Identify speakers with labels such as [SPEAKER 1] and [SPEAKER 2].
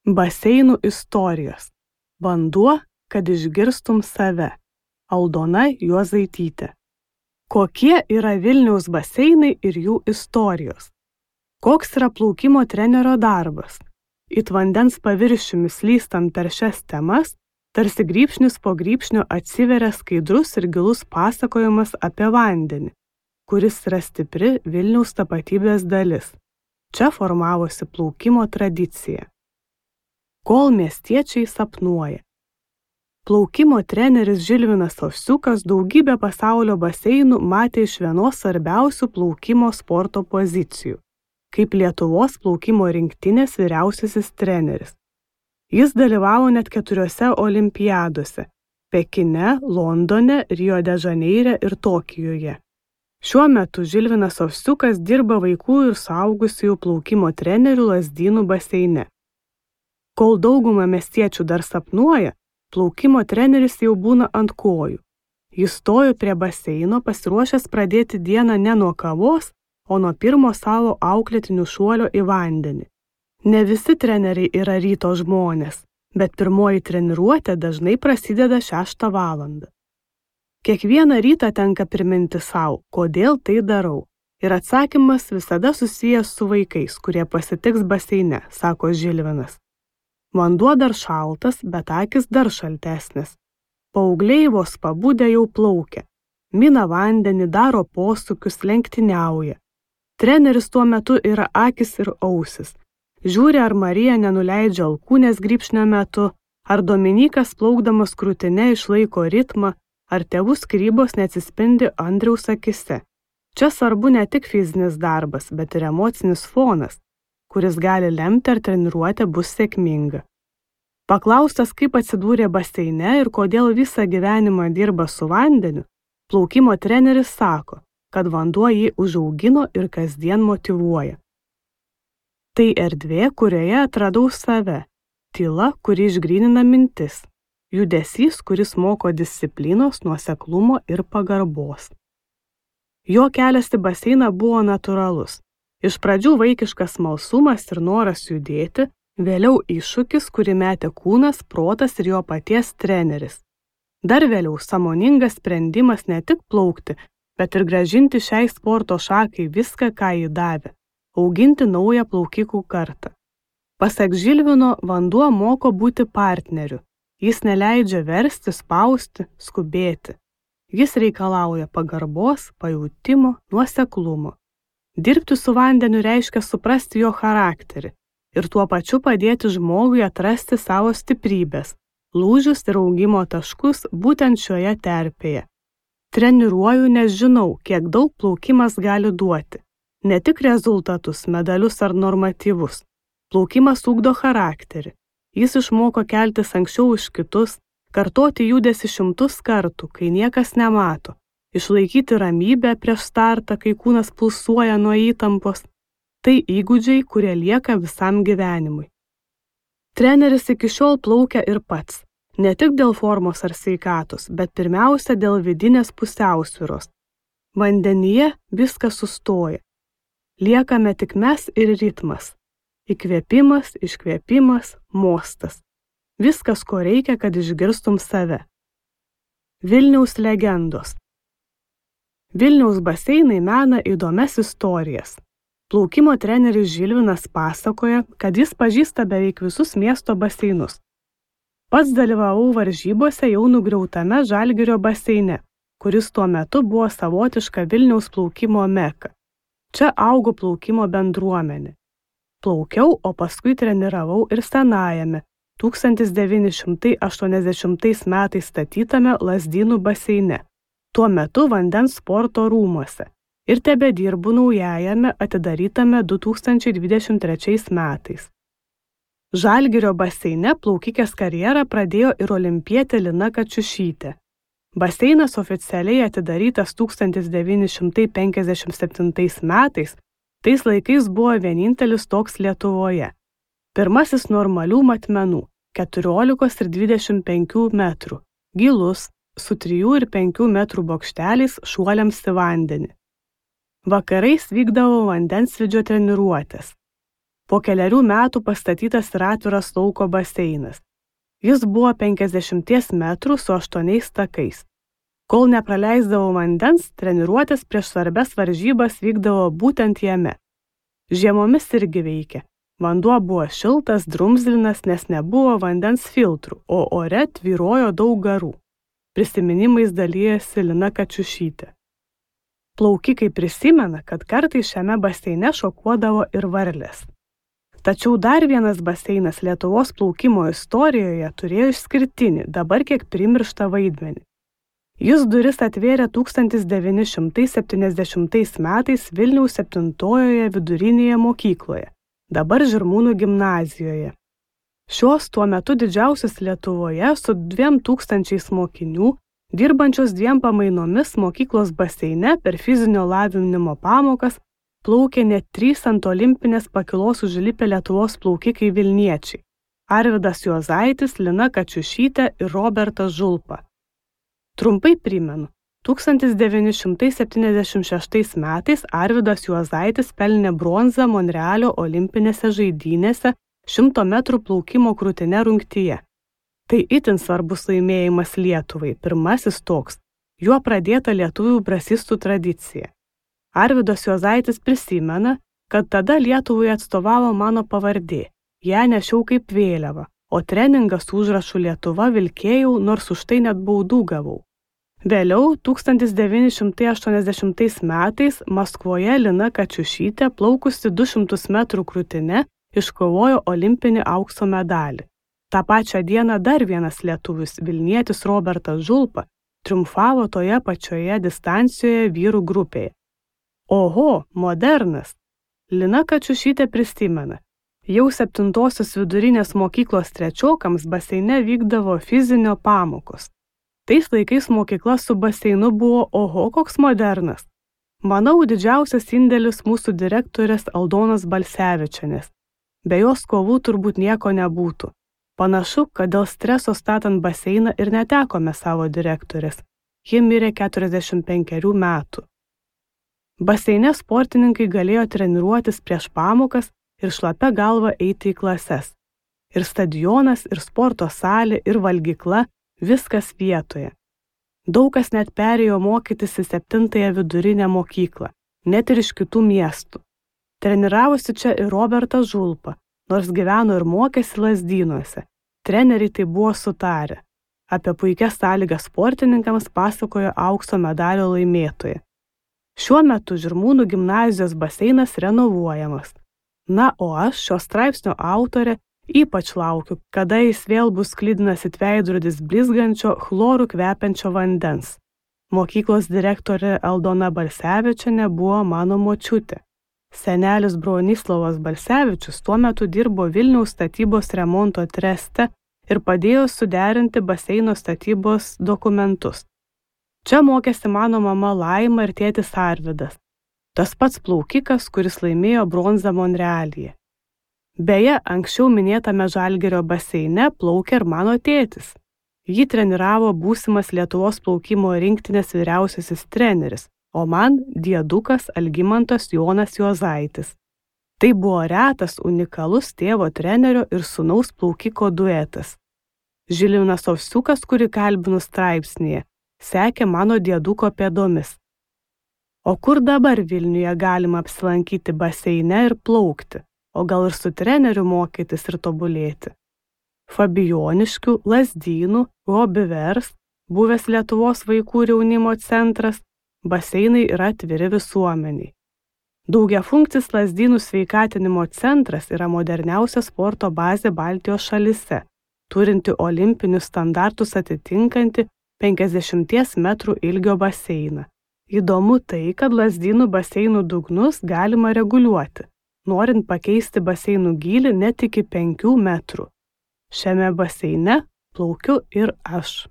[SPEAKER 1] Baseinų istorijos. Vanduo, kad išgirstum save. Aldona Juozaitytė. Kokie yra Vilniaus baseinai ir jų istorijos? Koks yra plaukimo trenerio darbas? It vandens paviršiumi slystant per šias temas, tarsi grybšnis po grybšnio atsiveria skaidrus ir gilus pasakojimas apie vandenį, kuris yra stipri Vilniaus tapatybės dalis. Čia formavosi plaukimo tradicija. Kol miestiečiai sapnuoja. Plaukimo treneris Žilvinas Ovsiukas daugybę pasaulio baseinų matė iš vienos svarbiausių plaukimo sporto pozicijų, kaip Lietuvos plaukimo rinktinės vyriausiasis treneris. Jis dalyvavo net 4 olimpiadose – Pekine, Londone, Rio de Žaneire ir Tokijuje. Šiuo metu Žilvinas Ovsiukas dirba vaikų ir suaugusiųjų plaukimo trenerių Lazdynų baseine. Kol dauguma miestiečių dar sapnuoja, plaukimo treneris jau būna ant kojų. Jis stojo prie baseino pasiruošęs pradėti dieną ne nuo kavos, o nuo pirmo savo auklėtinių šuolio į vandenį. Ne visi treneriai yra ryto žmonės, bet pirmoji treniruotė dažnai prasideda 6 valandą. Kiekvieną rytą tenka priminti savo, kodėl tai darau. Ir atsakymas visada susijęs su vaikais, kurie pasitiks baseine, sako Žilvinas. Vanduo dar šaltas, bet akis dar šaltesnis. Paaugliai vos pabudę jau plaukia. Mina vandenį, daro posūkius, lenktyniauja. Treneris tuo metu yra akis ir ausis. Žiūri, ar Marija nenuleidžia alkūnės grybšnio metu, ar Dominykas plaukdamas krūtine išlaiko ritmą, ar tėvų skyrybos neatsispindi Andriaus akise. Čia svarbu ne tik fizinis darbas, bet ir emocinis fonas, kuris gali lemti, ar treniruotė bus sėkminga. Paklaustas, kaip atsidūrė baseine ir kodėl visą gyvenimą dirba su vandeniu, plaukimo treneris sako, kad vanduo jį užaugino ir kasdien motyvuoja. Tai erdvė, kurioje atradau save, tyla, kuri išgrynina mintis, judesys, kuris moko disciplinos, nuoseklumo ir pagarbos. Jo kelias į baseiną buvo natūralus. Iš pradžių vaikiškas smalsumas ir noras judėti, vėliau iššūkis, kurį metė kūnas, protas ir jo paties treneris. Dar vėliau sąmoningas sprendimas ne tik plaukti, bet ir grąžinti šiai sporto šakai viską, ką jį davė, auginti naują plaukikų kartą. Pasak Žilvino, vanduo moko būti partneriu. Jis neleidžia versti, spausti, skubėti. Jis reikalauja pagarbos, pajautimo, nuoseklumo. Dirbti su vandeniu reiškia suprasti jo charakterį ir tuo pačiu padėti žmogui atrasti savo stiprybės, lūžius ir augimo taškus būtent šioje terpėje. Treniruoju, nes žinau, kiek daug plaukimas gali duoti. Ne tik rezultatus, medalius ar normatyvus. Plaukimas ugdo charakterį. Jis išmoko keltis anksčiau už kitus, kartoti judesį 100 kartų, kai niekas nemato. Išlaikyti ramybę prieš startą, kai kūnas pulsuoja nuo įtampos. Tai įgūdžiai, kurie lieka visam gyvenimui. Treneris iki šiol plaukia ir pats. Ne tik dėl formos ar sveikatos, bet pirmiausia dėl vidinės pusiausvyros. Vandenyje viskas sustoja. Liekame tik mes ir ritmas. Įkvėpimas, iškvėpimas, mostas. Viskas, ko reikia, kad išgirstum save. Vilniaus legendos. Vilniaus baseinai mena įdomias istorijas. Plaukimo treneris Žilvinas pasakoja, kad jis pažįsta beveik visus miesto baseinus. Pats dalyvavau varžybose jau nugriautame Žalgirio baseine, kuris tuo metu buvo savotiška Vilniaus plaukimo meka. Čia augo plaukimo bendruomenė. Plaukiau, o paskui treniravau ir senajame, 1980 metais statytame Lazdynų baseine, tuo metu vandens sporto rūmuose, ir tebedirbu naujajame atidarytame 2023 metais. Žalgirio baseine plaukikės karjerą pradėjo ir olimpietė Lina Kačiušytė. Baseinas oficialiai atidarytas 1957 metais, tais laikais buvo vienintelis toks Lietuvoje. Pirmasis normalių matmenų, 14 ir 25 metrų, gilus, su 3 ir 5 metrų bokšteliais šuoliams į vandenį. Vakarais vykdavo vandensvidžio treniruotės. Po kelerių metų pastatytas ir atviras lauko baseinas. Jis buvo 50 metrų su 8 takais. Kol nepraleisdavo vandens, treniruotės prieš svarbias varžybas vykdavo būtent jame. Žiemomis irgi veikė. Vanduo buvo šiltas, drumzlinas, nes nebuvo vandens filtrų, o ore tvyrojo daug garų. Prisiminimais dalijasi Lina Kačiušytė. Plaukikai prisimena, kad kartais šiame baseine šokuodavo ir varlės. Tačiau dar vienas baseinas Lietuvos plaukimo istorijoje turėjo išskirtinį, dabar kiek primirštą vaidmenį. Jis duris atvėrė 1970 metais Vilniaus 7-ojoje vidurinėje mokykloje, dabar Žirmūnų gimnazijoje. Šios tuo metu didžiausios Lietuvoje su 2000 mokinių, dirbančios 2 pamainomis mokyklos baseine per fizinio lavinimo pamokas, plaukė net 3 ant olimpinės pakylos užlipę Lietuvos plaukikai vilniečiai – Arvydas Juozaitis, Lina Kačiušytė ir Robertas Žulpa. Trumpai primenu, 1976 metais Arvydas Juozaitis pelnė bronzą Monrealio olimpinėse žaidynėse 100 metrų plaukimo krūtine rungtyje. Tai itin svarbus laimėjimas Lietuvai, pirmasis toks, juo pradėta lietuvių brasistų tradicija. Arvydas Juozaitis prisimena, kad tada Lietuvai atstovavo mano pavardė, ją nešiau kaip vėliava, o treningą su užrašu Lietuva vilkėjau, nors už tai net baudų gavau. Vėliau, 1980 metais Maskvoje Lina Kačiušytė, plaukusi 200 metrų krūtine, iškovojo olimpinį aukso medalį. Ta pačią dieną dar vienas lietuvis, vilnietis Robertas Žulpa, triumfavo toje pačioje distancijoje vyrų grupėje. Oho, modernas! Lina Kačiušytė prisimena. Jau 7-osios vidurinės mokyklos trečiokams baseine vykdavo fizinio pamokos. Tais laikais mokykla su baseinu buvo oho koks modernas. Manau, didžiausias indėlis mūsų direktorės Aldonos Balsevičienės. Be jos kovų turbūt nieko nebūtų. Panašu, kad dėl streso statant baseiną ir netekome savo direktorės. Ji mirė 45 metų. Baseine sportininkai galėjo treniruotis prieš pamokas ir šlapia galva eiti į klases. Ir stadionas, ir sporto salė, ir valgykla, viskas vietoje. Daug kas net perėjo mokytis į 7-ąją vidurinę mokyklą, net ir iš kitų miestų. Treniravosi čia ir Robertas Žulpa, nors gyveno ir mokėsi Lazdynuose. Treneriai tai buvo sutarę. Apie puikias sąlygas sportininkams pasakojo aukso medalio laimėtoja. Šiuo metu Žirmūnų gimnazijos baseinas renovuojamas. Na, o aš, šio straipsnio autorė, ypač laukiu, kada jis vėl bus sklidinas it veidrodis blizgančio, chlorų kvepiančio vandens. Mokyklos direktorė Aldona Balsevičienė buvo mano močiutė. Senelis Bronislavas Balsevičius tuo metu dirbo Vilniaus statybos remonto treste ir padėjo suderinti baseino statybos dokumentus. Čia mokėsi mano mama Laima ir tėtis Arvydas. Tas pats plaukikas, kuris laimėjo bronzą Monrealyje. Beje, anksčiau minėtame Žalgirio baseine plaukė ir mano tėtis. Jį treniravo būsimas Lietuvos plaukimo rinktinės vyriausiasis treneris, o man diedukas Algimantas Jonas Juozaitis. Tai buvo retas, unikalus tėvo trenerio ir sūnaus plaukiko duetas. Žilvinas Ovsiukas, kurį kalbinu straipsnyje, sekė mano dieduko pėdomis. O kur dabar Vilniuje galima apsilankyti baseine ir plaukti, o gal ir su treneriu mokytis ir tobulėti? Fabijoniškių, Lazdynų, Hobivers, buvęs Lietuvos vaikų ir jaunimo centras, baseinai yra atviri visuomeniai. Daugiafunkcis Lazdynų sveikatinimo centras yra moderniausia sporto bazė Baltijos šalyse, turinti olimpinius standartus atitinkanti 50 metrų ilgio baseiną. Įdomu tai, kad Lazdynų baseinų dugnus galima reguliuoti, norint pakeisti baseinų gylį net iki 5 metrų. Šiame baseine plaukiu ir aš.